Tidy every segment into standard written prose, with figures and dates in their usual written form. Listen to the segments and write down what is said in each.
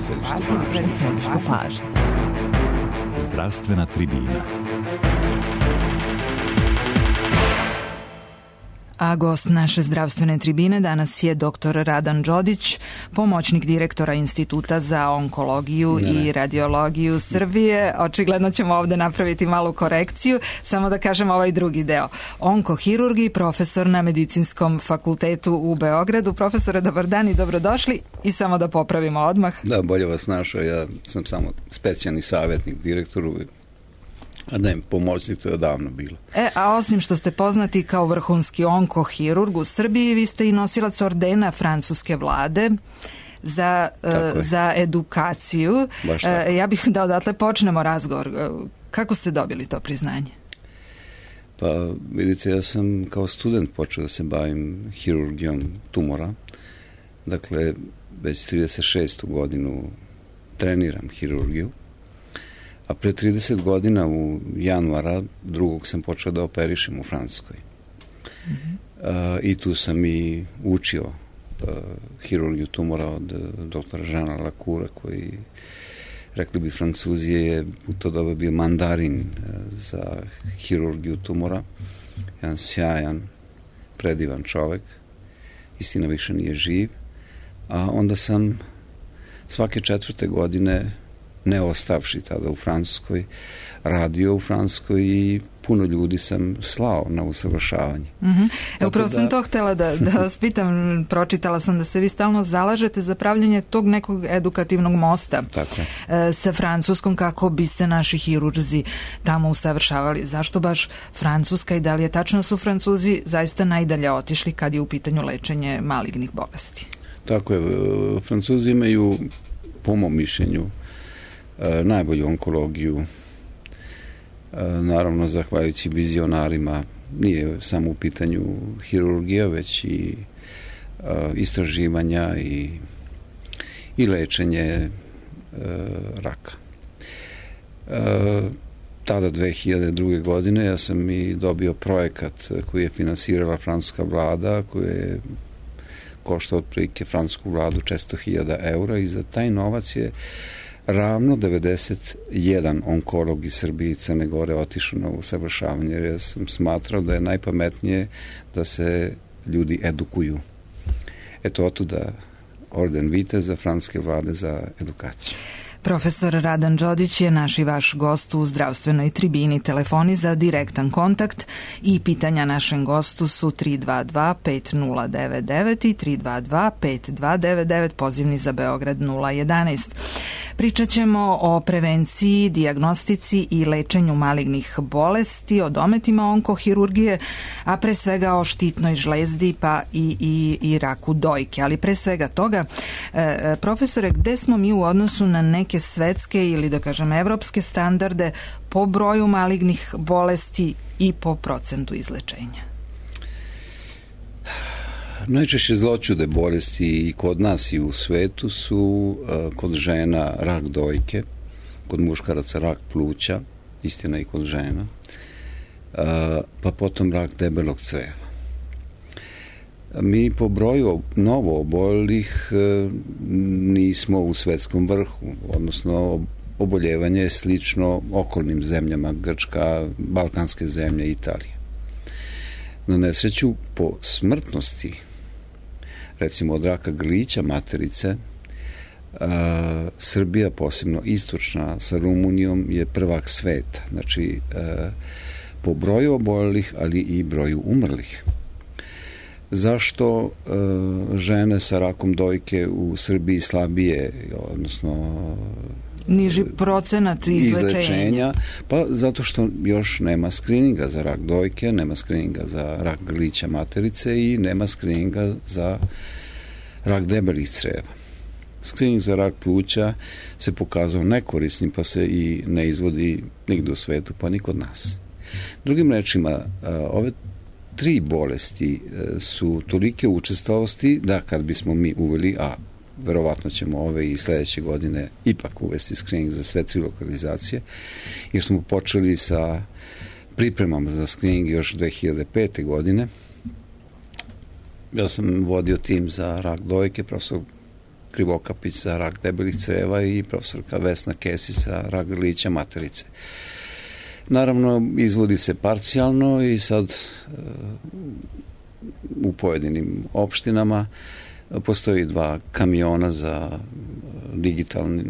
središtu pažnje. Zdravstvena tribina. A gost naše zdravstvene tribine danas je dr. Radan Đodić, pomoćnik direktora Instituta za onkologiju i radiologiju Srbije. Očigledno ćemo ovde napraviti malu korekciju. Samo da kažem ovaj drugi deo. Onkohirurg i profesor na Medicinskom fakultetu u Beogradu. Profesore, dobar dan i dobrodošli. I samo da popravimo odmah. Da, bolje vas našao. Ja sam samo specijalni savjetnik direktoru. A ne, pomoćnik, to je odavno bilo. A osim što ste poznati kao vrhunski onkohirurg u Srbiji, vi ste i nosilac ordena francuske vlade za edukaciju. Ja bih da odatle počnemo razgovor. Kako ste dobili to priznanje? Pa vidite, ja sam kao student počeo da se bavim hirurgijom tumora. Dakle, već 36. godinu treniram hirurgiju. A pre 30 godina u januara 2. sam počeo da operišem u Francuskoj. I tu sam i učio hirurgiju tumora od doktora Žana Lakura, koji, rekli bi Francuzi, je u to doba bio mandarin za hirurgiju tumora. Jedan sjajan, predivan čovek. Istina više nije živ. A onda sam svake 4. godine, ne ostavši tada u Francuskoj, radio u Francuskoj i puno ljudi sam slao na usavršavanje. Upravo sam to htjela da vas pitam. Pročitala sam da se vi stalno zalažete za pravljanje tog nekog edukativnog mosta sa Francuskom kako bi se naši hirurzi tamo usavršavali. Zašto baš Francuska i da li je tačno su Francuzi zaista najdalje otišli kad je u pitanju lečenje malignih bolesti? Tako je. Francuzi imaju, po mom mišljenju, najbolju onkologiju, naravno zahvaljujući vizionarima. Nije samo u pitanju hirurgija, već i istraživanja i lečenje raka. Tada 2002. godine ja sam i dobio projekat koji je finansirala francuska vlada, koji je koštao otprilike francusku vladu 400.000 eura i za taj novac je ravno 91 onkolog iz Srbije i Crne Gore otišao na usavršavanje, jer ja sam smatrao da je najpametnije da se ljudi edukuju. Eto, otuda orden viteza francuske vlade za edukaciju. Profesor Radan Đodić je naš i vaš gost u zdravstvenoj tribini. Telefoni za direktan kontakt i pitanja našem gostu su 322-5099 i 322-5299, pozivni za Beograd 011. Pričat ćemo o prevenciji, dijagnostici i lečenju malignih bolesti, o dometima onkohirurgije, a pre svega o štitnoj žlezdi pa i raku dojke. Ali pre svega toga, profesore, gde smo mi u odnosu na neke svetske ili da kažem evropske standarde po broju malignih bolesti i po procentu izlečenja? Najčešće zloćude bolesti i kod nas i u svetu su kod žena rak dojke, kod muškaraca rak pluća, istina i kod žena, pa potom rak debelog creva. Mi po broju novo oboljelih nismo u svetskom vrhu, odnosno oboljevanje je slično okolnim zemljama, Grčka, balkanske zemlje, Italija. Na nesreću, po smrtnosti, recimo od raka grlića materice, Srbija, posebno istočna sa Rumunijom, je prvak sveta. Znači, po broju oboljelih, ali i broju umrlih. Zašto žene sa rakom dojke u Srbiji slabije, odnosno niži procenat izlečenja? Pa zato što još nema skrininga za rak dojke, nema skrininga za rak grlića materice i nema skrininga za rak debelih creva. Skrining za rak pluća se pokazao nekorisnim, pa se i ne izvodi nigde u svetu, pa ni kod nas. Drugim rečima, ove 3 bolesti su tolike učestalosti da kad bismo mi uveli, a verovatno ćemo ove i sledeće godine ipak uvesti screening za sve 3 lokalizacije, jer smo počeli sa pripremama za screening još 2005. godine. Ja sam vodio tim za rak dojke, profesor Krivokapić za rak debelih creva i profesorka Vesna Kesić za rak grlića materice. Naravno, izvodi se parcijalno i sad u pojedinim opštinama postoji 2 kamiona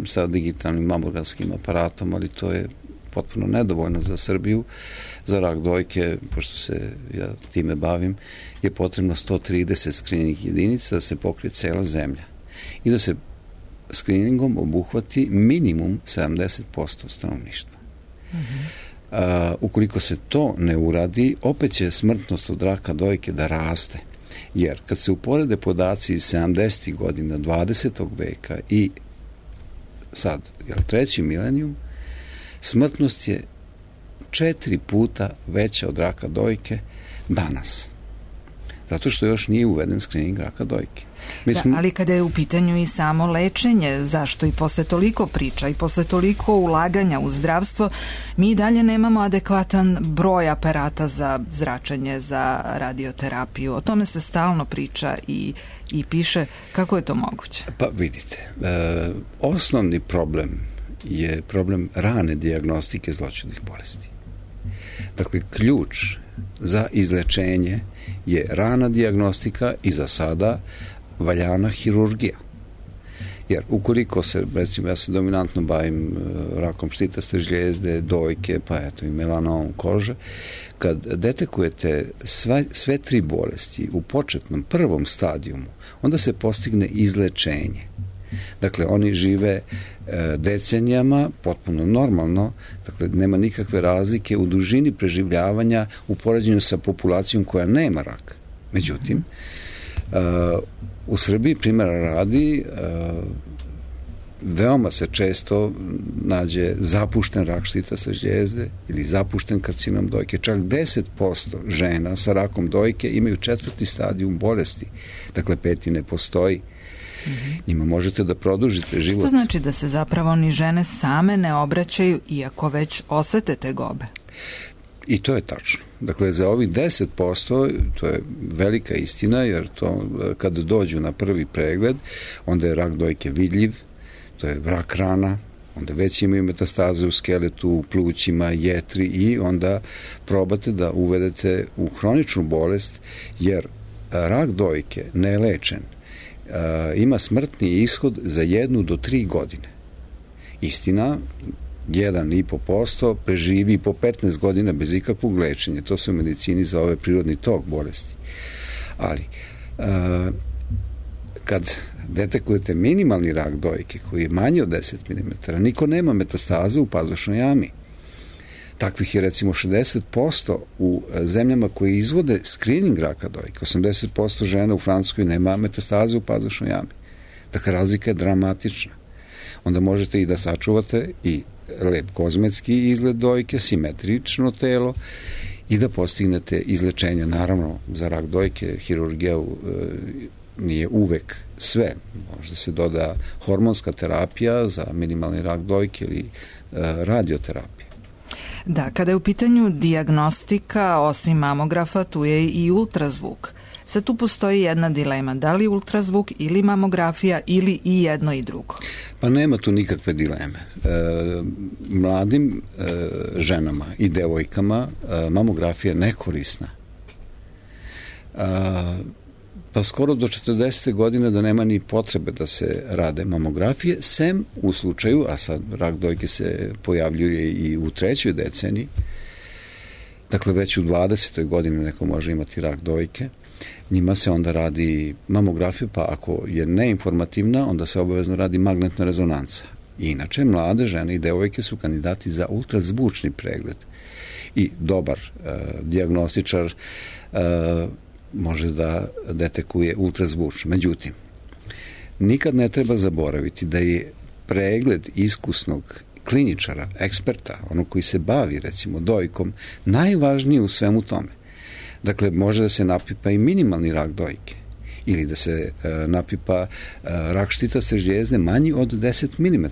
sa digitalnim mamogranskim aparatom, ali to je potpuno nedovoljno za Srbiju. Za rak dojke, pošto se ja time bavim, je potrebno 130 skrining jedinica da se pokrije cela zemlja i da se skriningom obuhvati minimum 70% stanovništva. Ukoliko se to ne uradi, opet će smrtnost od raka dojke da raste. Jer kad se uporede podaci iz 70. godina 20. veka i sad, treći milenijum, smrtnost je 4 puta veća od raka dojke danas. Zato što još nije uveden skrining raka dojke. Ali kada je u pitanju i samo lečenje, zašto i posle toliko priča i posle toliko ulaganja u zdravstvo, mi dalje nemamo adekvatan broj aparata za zračenje, za radioterapiju. O tome se stalno priča i piše. Kako je to moguće? Pa vidite, osnovni problem je problem rane dijagnostike zloćudnih bolesti. Dakle, ključ za izlečenje je rana dijagnostika i za sada valjana hirurgija. Jer ukoliko se, recimo, ja se dominantno bavim rakom štitaste žljezde, dojke, pa eto i melanom kože, kad detekujete sve 3 bolesti u početnom prvom stadijumu, onda se postigne izlečenje. Dakle, oni žive decenijama, potpuno normalno, dakle, nema nikakve razlike u dužini preživljavanja u poređenju sa populacijom koja nema rak. Međutim, u Srbiji, primjera radi, veoma se često nađe zapušten rak štitaste žljezde ili zapušten karcinom dojke. Čak 10% žena sa rakom dojke imaju 4. stadijum bolesti. Dakle, 5. ne postoji. Njima možete da produžite život. Što znači da se zapravo ni žene same ne obraćaju iako već osete tegobe? I to je tačno. Dakle, za ovih 10%, to je velika istina, jer to kad dođu na prvi pregled, onda je rak dojke vidljiv, to je rak rana, onda već imaju metastaze u skeletu, u plućima, jetri i onda probate da uvedete u hroničnu bolest, jer rak dojke nelečen ima smrtni ishod za 1 do 3 godine. Istina, 1,5% preživi po 15 godina bez ikakvog lečenja. To se u medicini zove prirodni tok bolesti. Ali, kad detekujete minimalni rak dojke koji je manji od 10 mm, niko nema metastaze u pazušnoj jami. Takvih je recimo 60% u zemljama koje izvode skrining raka dojke. 80% žena u Francuskoj nema metastaze u pazušnoj jami. Dakle, razlika je dramatična. Onda možete i da sačuvate i lep kozmetski izgled dojke, simetrično telo i da postignete izlečenje. Naravno, za rak dojke hirurgija nije uvek sve. Možda se doda hormonska terapija za minimalni rak dojke ili radioterapija. Da, kada je u pitanju dijagnostika, osim mamografa, tu je i ultrazvuk. Sad tu postoji jedna dilema, da li ultrazvuk ili mamografija ili i jedno i drugo? Pa nema tu nikakve dileme. Mladim ženama i devojkama mamografija je nekorisna. Pa skoro do 40. godine da nema ni potrebe da se rade mamografije, sem u slučaju, a sad rak dojke se pojavljuje i u 3. deceniji, dakle već u 20. godini neko može imati rak dojke, njima se onda radi mamografija, pa ako je neinformativna, onda se obavezno radi magnetna rezonanca. I inače, mlade žene i devojke su kandidati za ultrazvučni pregled. I dobar dijagnostičar može da detekuje ultrazvučno. Međutim, nikad ne treba zaboraviti da je pregled iskusnog kliničara, eksperta, onog koji se bavi recimo dojkom, najvažniji u svemu tome. Dakle, može da se napipa i minimalni rak dojke ili da se napipa rak štitaste žljezde manji od 10 mm.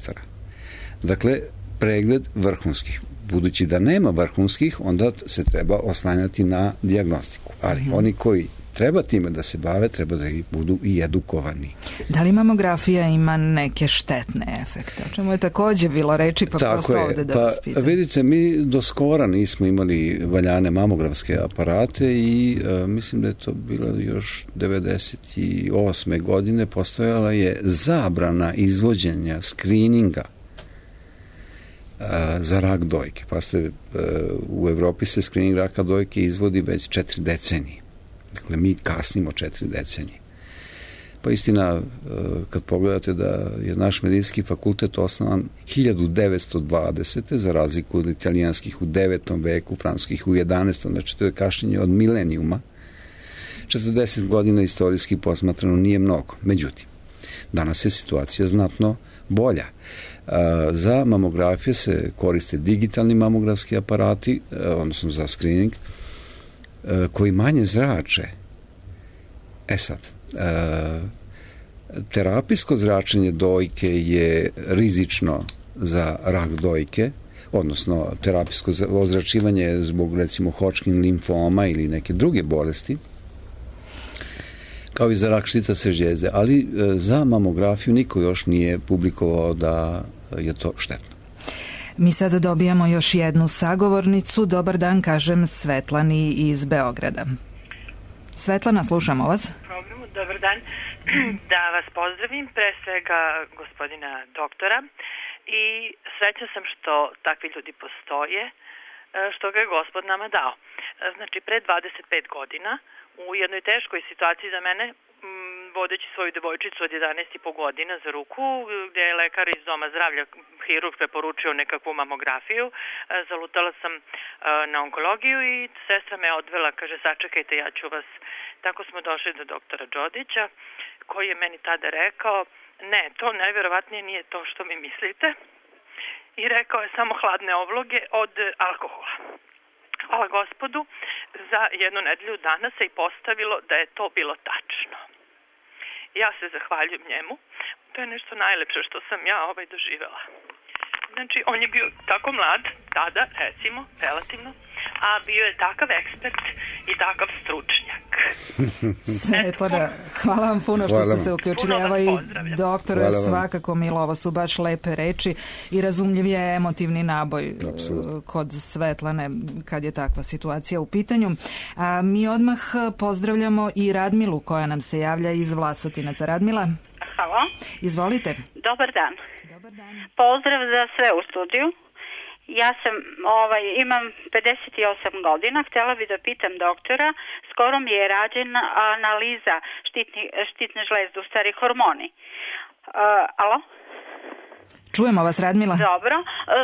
Dakle, pregled vrhunskih. Budući da nema vrhunskih, onda se treba oslanjati na dijagnostiku. Ali oni koji treba time da se bave, treba da budu i edukovani. Da li mamografija ima neke štetne efekte? O čemu je takođe bilo reči, pa tako prosto ovde da vas pitam. Vidite, mi do skora nismo imali valjane mamografske aparate i mislim da je to bilo još 98. godine, postojala je zabrana izvođenja skrininga za rak dojke. Pa u Evropi se skrining raka dojke izvodi već 4 decenije. Dakle, mi kasnimo 4 decenije. Pa istina, kad pogledate da je naš medicinski fakultet osnovan 1920. za razliku od italijanskih u 9. veku, francuskih u 11. Znači, to je kašnjenje od milenijuma. 40 godina istorijski posmatrano nije mnogo. Međutim, danas je situacija znatno bolja. Za mamografije se koriste digitalni mamografski aparati, odnosno za screening, koji manje zrače. Sad, terapijsko zračenje dojke je rizično za rak dojke, odnosno terapijsko ozračivanje zbog, recimo, Hodgkin limfoma ili neke druge bolesti, kao i za rak štitaste žljezde, ali za mamografiju niko još nije publikovao da je to štetno. Mi sada dobijamo još jednu sagovornicu. Dobar dan, kažem Svetlani iz Beograda. Svetlana, slušamo vas. Dobar dan. Da vas pozdravim, pre svega gospodina doktora, i srećna sam što takvi ljudi postoje, što ga je Gospod nama dao. Znači, pre 25 godina, u jednoj teškoj situaciji za mene, vodeći svoju devojčicu od 11,5 godina za ruku, gdje je lekar iz doma zdravlja, hirurg, preporučio nekakvu mamografiju, zalutala sam na onkologiju i sestra me odvela, kaže, sačekajte, ja ću vas. Tako smo došli do doktora Đodića, koji je meni tada rekao, ne, to najverovatnije nije to što mi mislite, i rekao je samo hladne ovloge od alkohola. Hvala Gospodu, za 1 nedelju dana se i postavilo da je to bilo tačno. Ja se zahvaljujem njemu. To je nešto najlepše što sam ja doživela. Znači, on je bio tako mlad, tada, recimo, relativno, a bio je takav ekspert i takav stručnjak. Svetlana, hvala vam puno što ste se uključili. Evo i doktor je svakako milo, ovo su baš lepe reči i razumljiv je emotivni naboj kod Svetlane kad je takva situacija u pitanju. A mi odmah pozdravljamo i Radmilu koja nam se javlja iz Vlasotinaca. Radmila? Halo. Izvolite. Dobar dan. Dobar dan. Pozdrav za sve u studiju. Ja sam, imam 58 godina, htjela bi da pitam doktora, skoro mi je rađena analiza štitne žlezde, u stvari hormoni. Alo? Čujemo vas, Radmila. Dobro.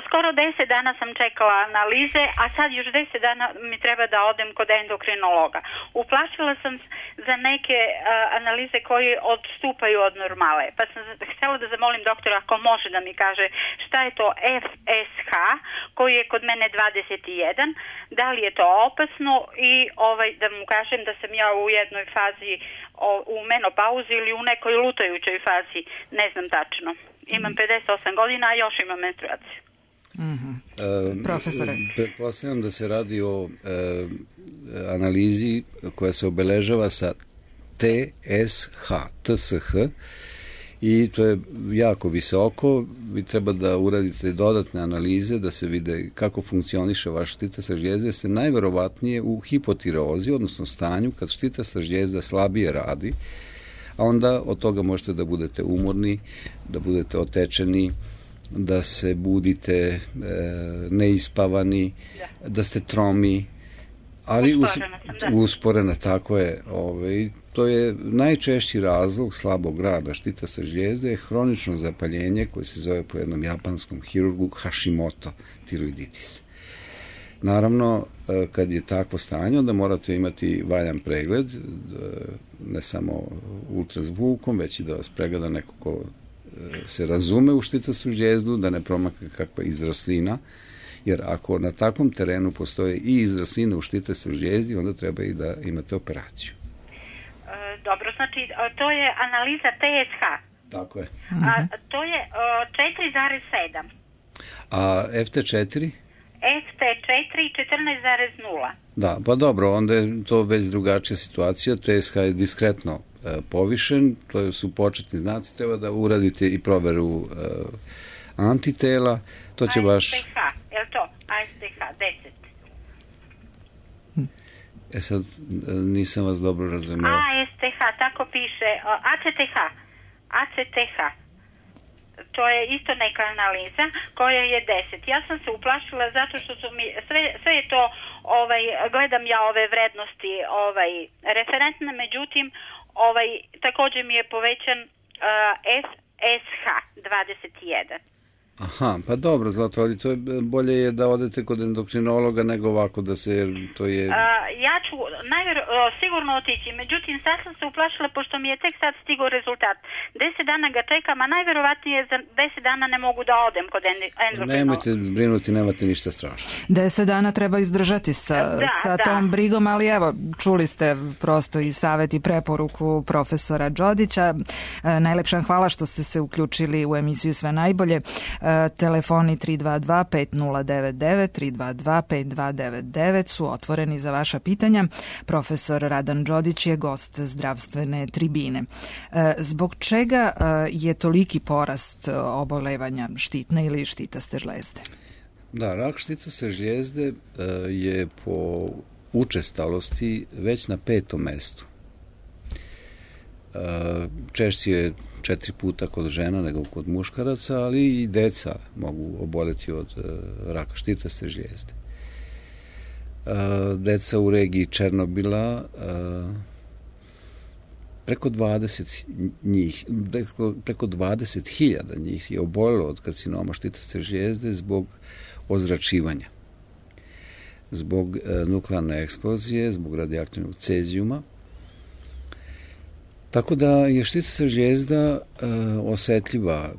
Skoro 10 dana sam čekala analize, a sad još 10 dana mi treba da odem kod endokrinologa. Uplašila sam za neke analize koje odstupaju od normale. Pa sam htjela da zamolim doktora ako može da mi kaže šta je to FSH, koji je kod mene 21, da li je to opasno i da mu kažem da sam ja u jednoj fazi u menopauzi ili u nekoj lutajućoj fazi, ne znam tačno. Imam 58 godina, a još imam menstruaciju. Profesore. Pretpostavljam da se radi o analizi koja se obeležava sa TSH, i to je jako visoko. Vi treba da uradite dodatne analize da se vide kako funkcioniše vaša štitasta žljezda. Ste najverovatnije u hipotireozi, odnosno stanju kad štitasta žljezda slabije radi, a onda od toga možete da budete umorni, da budete otečeni, da se budite neispavani, da ste tromi, ali usporena, tako je. To je najčešći razlog slabog rada štitaste žljezde, je hronično zapaljenje koje se zove po jednom japanskom hirurgu Hashimoto tiroiditis. Naravno, kad je takvo stanje, onda morate imati valjan pregled, ne samo ultrazvukom, već i da vas pregleda neko ko se razume u štitastu žljezdu, da ne promakne kakva izraslina, jer ako na takvom terenu postoje i izraslina u štitastu žljezdi, onda treba i da imate operaciju. Dobro, znači to je analiza TSH. Tako je. To je 4,7. A FT4? FT4 14,0. Da, pa dobro, onda je to već drugačija situacija, TSH je diskretno povišen, to su početni znaci, treba da uradite i proveru antitela, to će baš... ASTH, je li to? ASTH, 10. Sad, nisam vas dobro razumeo. ASTH, tako piše, ACTH. To je isto neka analiza koja je 10. Ja sam se uplašila zato što su mi, sve je to, gledam ja ove vrednosti referentne, međutim, također mi je povećan FSH 21. Aha, pa dobro, Zlato, ali to je bolje je da odete kod endokrinologa nego ovako da se, to je... Ja ću sigurno otići, međutim sad sam se uplašila pošto mi je tek sad stigao rezultat. 10 dana ga čekam, a najverovatnije za 10 dana ne mogu da odem kod endokrinologa. Nemojte brinuti, nemate ništa strašno. 10 dana treba izdržati sa tom brigom, ali evo, čuli ste prosto i savjet i preporuku profesora Đodića. Najlepša hvala što ste se uključili u emisiju Sve najbolje. Telefoni 322-5099, 322-5299 su otvoreni za vaša pitanja. Profesor Radan Đodić je gost zdravstvene tribine. Zbog čega je toliki porast obolevanja štitne ili štitaste žlezde? Da, rak štitaste žlijezde je po učestalosti već na 5. mestu. Češće je 4 puta kod žena nego kod muškaraca, ali i deca mogu oboljeti od raka štitaste žlijezde. Deca u regiji Černobila, preko 20.000 njih je oboljelo od karcinoma štitaste žlijezde zbog ozračivanja, zbog nuklearne eksplozije, zbog radioaktivnog cezijuma. Tako da je štitasta žlijezda osetljiva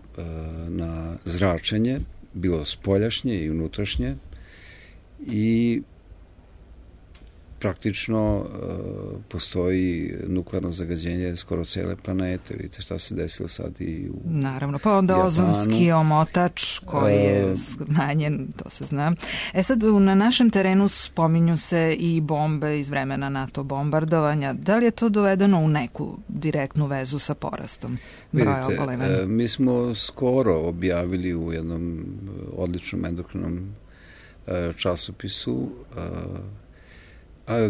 na zračenje, bilo spoljašnje i unutrašnje, i praktično postoji nuklearno zagađenje skoro cele planete. Vidite šta se desilo sad i u Naravno, pa onda Japanu. Ozonski omotač koji je smanjen, to se zna. Sad na našem terenu spominju se i bombe iz vremena NATO bombardovanja. Da li je to dovedeno u neku direktnu vezu sa porastom broja obolevanja? Mi smo skoro objavili u jednom odličnom endokrinom časopisu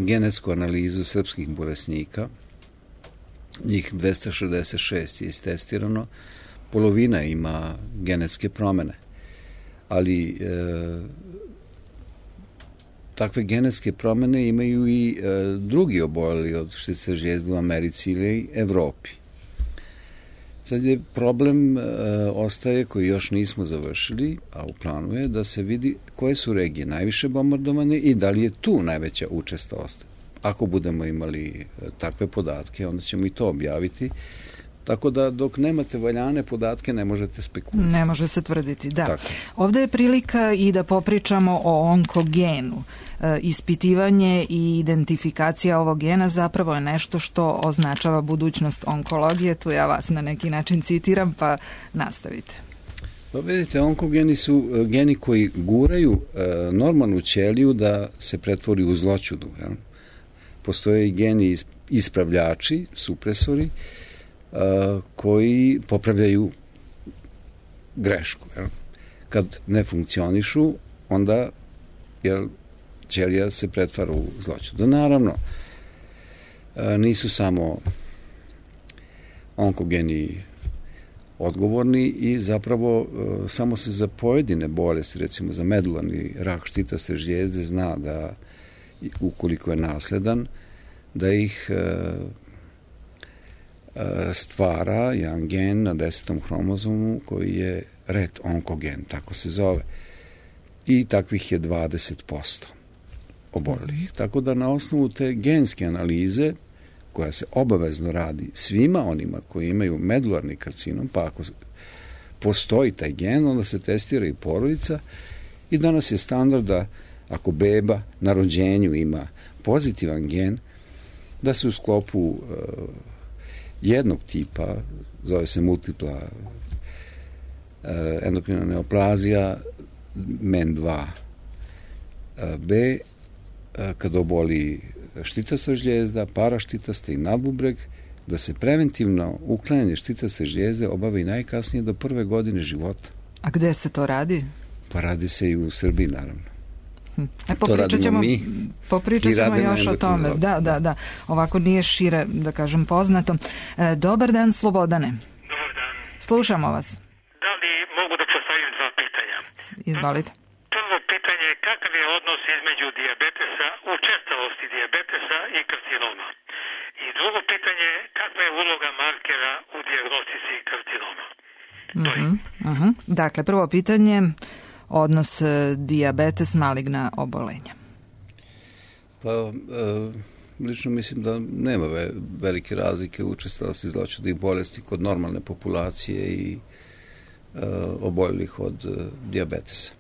genetsku analizu srpskih bolesnika. Njih 266 je istestirano. Polovina ima genetske promene. Ali takve genetske promene imaju i drugi oboljeli od štitaste žlijezde u Americi ili Evropi. Sad je problem ostaje koji još nismo završili, a u planu je da se vidi koje su regije najviše bombardovane i da li je tu najveća učestalost. Ako budemo imali takve podatke, onda ćemo i to objaviti. Tako da dok nemate valjane podatke ne možete spekulisati. Ne može se tvrditi, da. Tako. Ovdje je prilika i da popričamo o onkogenu. Ispitivanje i identifikacija ovog gena zapravo je nešto što označava budućnost onkologije. Tu ja vas na neki način citiram, pa nastavite. Pa vidite, onkogeni su geni koji guraju normalnu ćeliju da se pretvori u zloćudu. Jel? Postoje i geni ispravljači, supresori, koji popravljaju grešku. Jel? Kad ne funkcionišu, onda ćelija se pretvara u zloćudu. Naravno, nisu samo onkogeni odgovorni i zapravo samo se za pojedine bolesti, recimo za medularni rak štitaste žlijezde, zna da ukoliko je nasledan, da ih stvara jedan gen na 10. hromozomu koji je ret onkogen, tako se zove. I takvih je 20% oboljelih. Tako da na osnovu te genske analize, koja se obavezno radi svima onima koji imaju medularni karcinom, pa ako postoji taj gen, onda se testira i porodica, i danas je standard da ako beba na rođenju ima pozitivan gen, da se u sklopu jednog tipa, zove se multipla endokrina neoplazija, MEN2 B, kad oboli štitasta žljezda, paraštitasta i nadbubreg, da se preventivno uklanjanje štitasta žljezde obavi najkasnije do 1. godine života. A gde se to radi? Pa radi se i u Srbiji, naravno. Popričat ćemo još o tome. Da. Ovako nije šire, da kažem, poznato. Dobar dan, Slobodane. Dobar dan. Slušamo vas. Da li mogu da postavim 2 pitanja? Izvolite. Prvo pitanje je kakav je odnos između dijabetesa, učestalosti dijabetesa i karcinoma? I drugo pitanje je kakva je uloga markera u dijagnostici karcinoma? Dakle, prvo pitanje, odnos dijabetes, maligna obolenja. Pa, lično mislim da nema velike razlike u učestalosti zloćudnih bolesti kod normalne populacije i oboljelih od dijabetesa.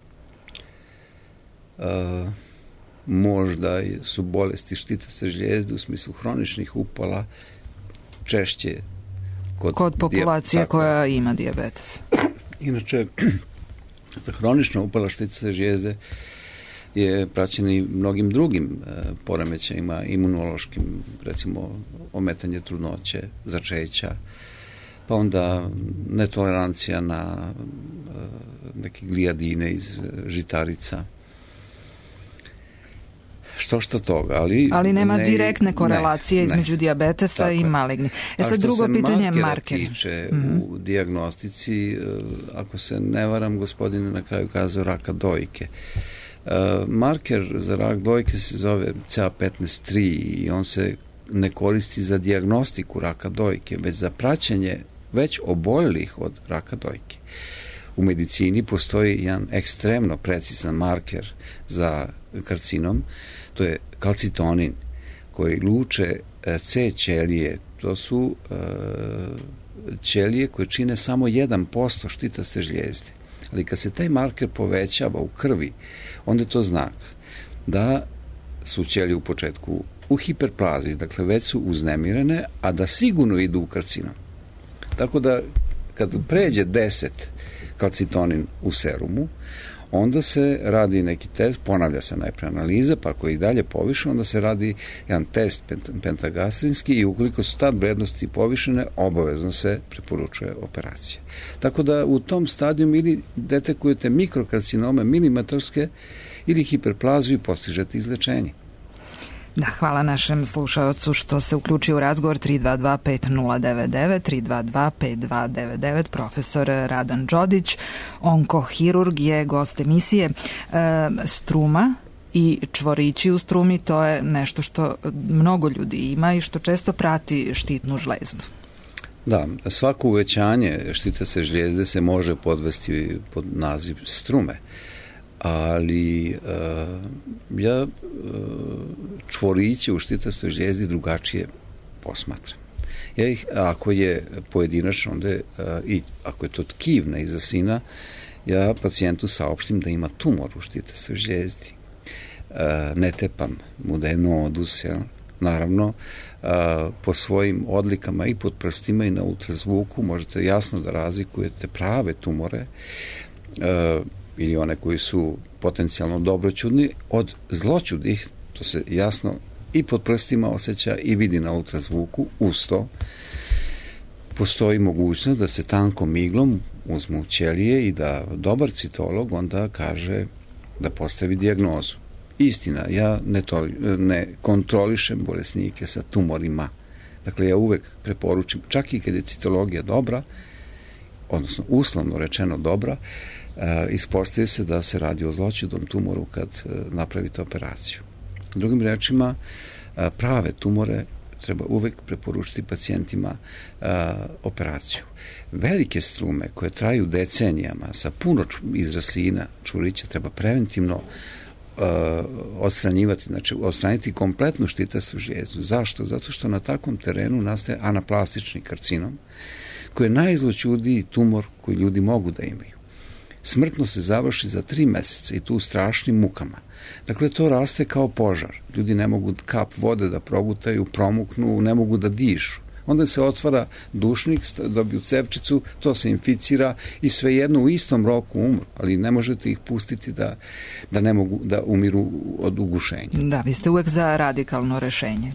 Možda su bolesti štitaste žljezde u smislu hroničnih upala češće kod populacije koja ima dijabetes. Inače, hronična upala štitaste žljezde je praćena i mnogim drugim poremećajima, imunološkim, recimo ometanje trudnoće, začeća, pa onda netolerancija na neke glijadine iz žitarica. Što toga, ali nema direktne korelacije između dijabetesa i maligni. Sad drugo pitanje je marker. A što se markera tiče u dijagnostici, ako se ne varam, gospodine na kraju kazao raka dojke. Marker za rak dojke se zove CA15-3 i on se ne koristi za dijagnostiku raka dojke, već za praćenje već oboljelih od raka dojke. U medicini postoji jedan ekstremno precizan marker za karcinom, to je kalcitonin, koji luče C ćelije. To su ćelije koje čine samo 1% štitaste žljezde. Ali kad se taj marker povećava u krvi, onda je to znak da su ćelije u početku u hiperplaziji, dakle već su uznemirene, a da sigurno idu u karcinom. Tako da kad pređe 10 kalcitonin u serumu, onda se radi neki test, ponavlja se najpre analiza, pa ako je i dalje povišeno, onda se radi jedan test pentagastrinski i ukoliko su tad vrednosti povišene, obavezno se preporučuje operacija. Tako da u tom stadiju ili detekujete mikrokarcinome milimetarske ili hiperplaziju i postižete izlečenje. Da, hvala našem slušaocu što se uključio u razgovor. 322-5099, 322-5299, profesor Radan Đodić, onkohirurg, je gost emisije. Struma i čvorići u strumi, to je nešto što mnogo ljudi ima i što često prati štitnu žlezdu. Da, svako uvećanje štitaste žljezde se može podvesti pod naziv strume. Ali ja čvoriće u štitastoj žljezdi drugačije posmatram. Ja ih, ako je pojedinačno, onda i ako je to tkivna izasina, ja pacijentu saopštim da ima tumor u štitastoj žljezdi. Ne tepam mu da je nodus, naravno, po svojim odlikama i pod prstima i na ultrazvuku možete jasno da razlikujete prave tumore ili one koji su potencijalno dobroćudni od zloćudnih, to se jasno i pod prstima osjeća i vidi na ultrazvuku. Uz to postoji mogućnost da se tankom iglom uzmu ćelije i da dobar citolog onda kaže da postavi dijagnozu. Istina, ja ne kontrolišem bolesnike sa tumorima. Dakle, ja uvek preporučim, čak i kad je citologija dobra, odnosno uslovno rečeno dobra, ispostavi se da se radi o zloćudnom tumoru kad napravite operaciju. Drugim rečima, prave tumore treba uvek preporučiti pacijentima operaciju. Velike strume koje traju decenijama sa puno izraslina čvorića treba preventivno odstranjivati, znači odstraniti kompletnu štitastu žljezdu. Zašto? Zato što na takvom terenu nastaje anaplastični karcinom, koji je najzloćudniji tumor koji ljudi mogu da imaju. Smrtno se završi za 3 meseca i tu u strašnim mukama. Dakle, to raste kao požar. Ljudi ne mogu kap vode da progutaju, promuknu, ne mogu da dišu. Onda se otvara dušnik, dobiju cevčicu, to se inficira i svejedno u istom roku umru, ali ne možete ih pustiti da ne mogu da umiru od ugušenja. Da, vi ste uvek za radikalno rešenje.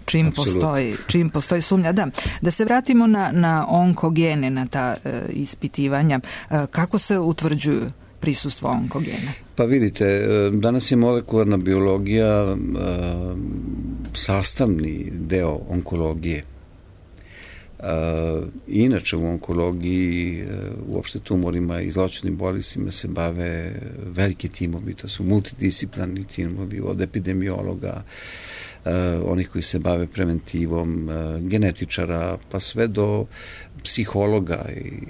Čim postoji sumnja. Da se vratimo na onkogene, na ta ispitivanja. Kako se utvrđuju prisustvo onkogena? Pa vidite, danas je molekularna biologija sastavni deo onkologije. Inače u onkologiji, uopšte tumorima i zloćudnim bolestima se bave veliki timovi, to su multidisciplinarni timovi od epidemiologa, onih koji se bave preventivom, genetičara, pa sve do psihologa i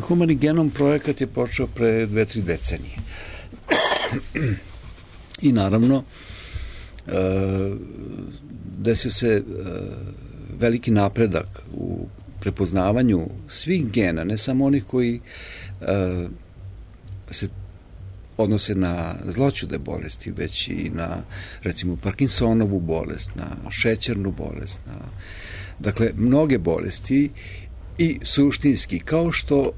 Humani genom projekat je počeo pre 2-3 decenije. I naravno, desio se veliki napredak u prepoznavanju svih gena, ne samo onih koji se odnose na zloćudne bolesti, već i na, recimo, Parkinsonovu bolest, na šećernu bolest, dakle, mnoge bolesti. I suštinski, kao što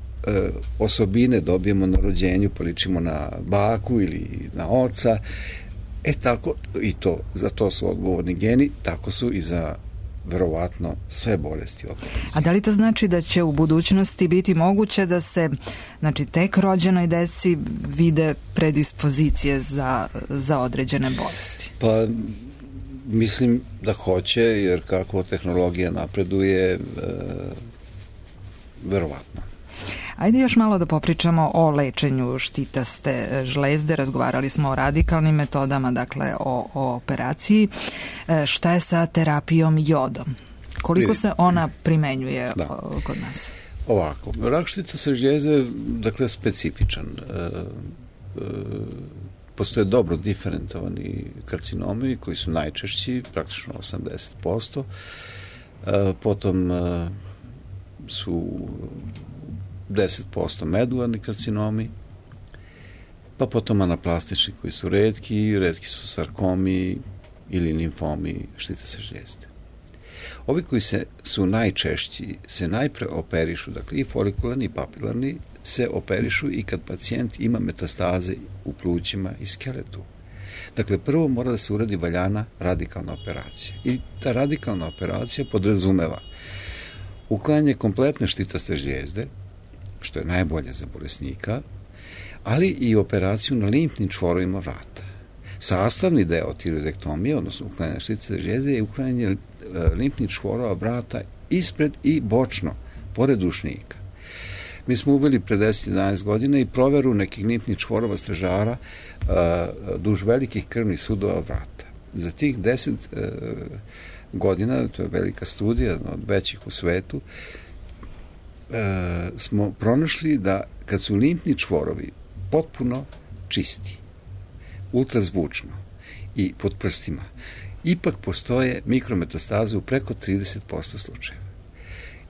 osobine dobijemo na rođenju, pa ličimo na baku ili na oca, tako, i to, za to su odgovorni geni, tako su i za verovatno sve bolesti odgovorni. A da li to znači da će u budućnosti biti moguće da se, znači, tek rođenoj deci vide predispozicije za određene bolesti? Pa, mislim da hoće, jer kako tehnologija napreduje, verovatno. Ajde još malo da popričamo o lečenju štitaste žlezde. Razgovarali smo o radikalnim metodama, dakle o operaciji. Šta je sa terapijom jodom? Koliko se ona primenjuje kod nas? Ovako, rak štitaste žljezde, dakle, specifičan. Postoje dobro diferentovani karcinomi koji su najčešći, praktično 80%. Potom su 10% medularni karcinomi, pa potom anaplastični koji su retki su sarkomi ili limfomi štitaste žljezde. Ovi koji su najčešći, se najpre operišu, dakle i folikularni i papilarni, se operišu i kad pacijent ima metastaze u plućima i skeletu. Dakle, prvo mora da se uradi valjana radikalna operacija. I ta radikalna operacija podrazumeva uklanjanje kompletne štitaste žljezde, što je najbolje za bolesnika, ali i operaciju na limfnim čvorovima vrata. Sastavni deo tiroidektomije, odnosno uklanjanje štitaste žljezde, je uklanjanje limfnih čvorova vrata ispred i bočno, pored dušnika. Mi smo uveli pre 10-11 godina i proveru nekih limfnih čvorova stražara duž velikih krvnih sudova vrata. Za tih 10 godina, to je velika studija, od većih u svetu, smo pronašli da kad su limfni čvorovi potpuno čisti, ultrazvučno i pod prstima, ipak postoje mikrometastaze u preko 30% slučajeva.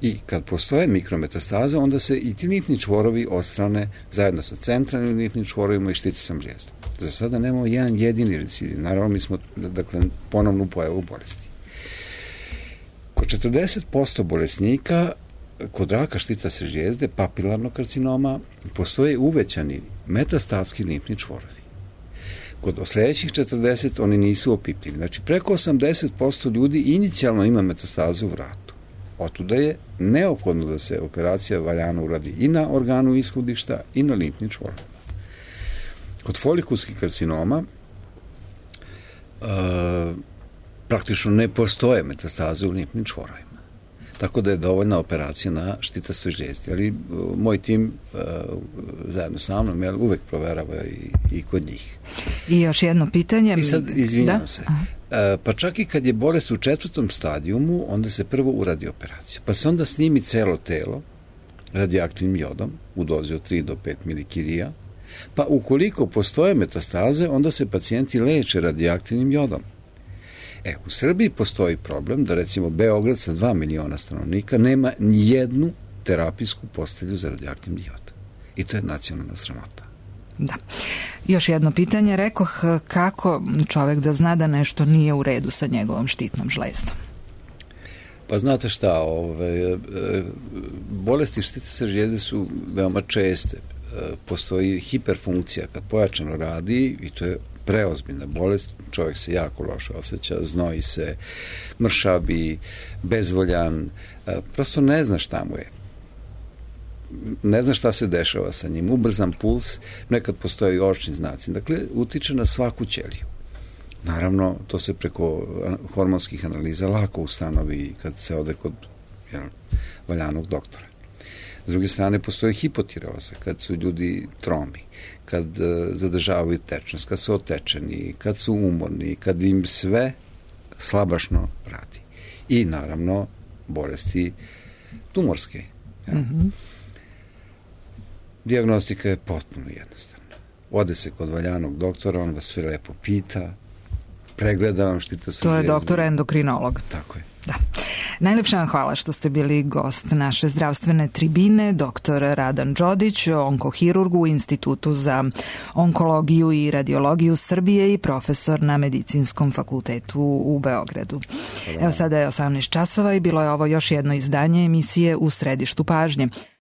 I kad postoje mikrometastaze, onda se i ti limfni čvorovi odstrane zajedno sa centralnim limfnim čvorovima i šticastom žljezdom. Za sada nemamo jedan jedini recidiv. Naravno, mi smo, dakle, ponovnu pojavu bolesti. Kod 40% bolesnika kod raka štitaste žljezde, papilarnog karcinoma, postoje uvećani metastatski limfni čvorovi. Kod sledećih 40 oni nisu opipljivi. Znači, preko 80% ljudi inicijalno ima metastazu u vratu. Otuda je neophodno da se operacija valjano uradi i na organu ishodišta i na limfnim čvorovima. Kod folikulskih karcinoma praktično ne postoje metastaze u limfnim čvorovima. Tako da je dovoljna operacija na štitastoj žljezdi. Ali moj tim zajedno sa mnom uvek proverava i kod njih. I još jedno pitanje. I sad, izvinjam se, pa čak i kad je bolest u 4. stadijumu, onda se prvo uradi operacija. Pa se onda snimi celo telo radioaktivnim jodom u dozi od 3 do 5 milikirija, pa ukoliko postoje metastaze, onda se pacijenti leče radioaktivnim jodom. U Srbiji postoji problem da, recimo, Beograd sa 2 miliona stanovnika nema nijednu terapijsku postelju za radioaktivni jod. I to je nacionalna sramota. Da. Još jedno pitanje, rekoh, kako čovek da zna da nešto nije u redu sa njegovom štitnom žlezdom? Pa znate šta, bolesti štitne žlijezde su veoma česte. Postoji hiperfunkcija kad pojačano radi i to je preozbiljna bolest, čovjek se jako loše osjeća, znoji se, mršavi, bezvoljan, prosto ne zna šta mu je. Ne zna šta se dešava sa njim, ubrzan puls, nekad postoje i očni znaci. Dakle, utiče na svaku ćeliju. Naravno, to se preko hormonskih analiza lako ustanovi kad se ode kod valjanog doktora. S druge strane, postoje hipotireoza, kad su ljudi tromi, kad zadržavaju tečnost, kad su otečeni, kad su umorni, kad im sve slabašno radi. I naravno, bolesti tumorske. Dijagnostika je potpuno jednostavna. Ode se kod valjanog doktora, on vas sve lepo pita, pregleda vam štitnu žlijezdu. To je doktor endokrinolog. Tako je. Da. Najlepša vam hvala što ste bili gost naše zdravstvene tribine, doktor Radan Đodić, onkohirurg u Institutu za onkologiju i radiologiju Srbije i profesor na Medicinskom fakultetu u Beogradu. Evo sada je 18 časova i bilo je ovo još jedno izdanje emisije U središtu pažnje.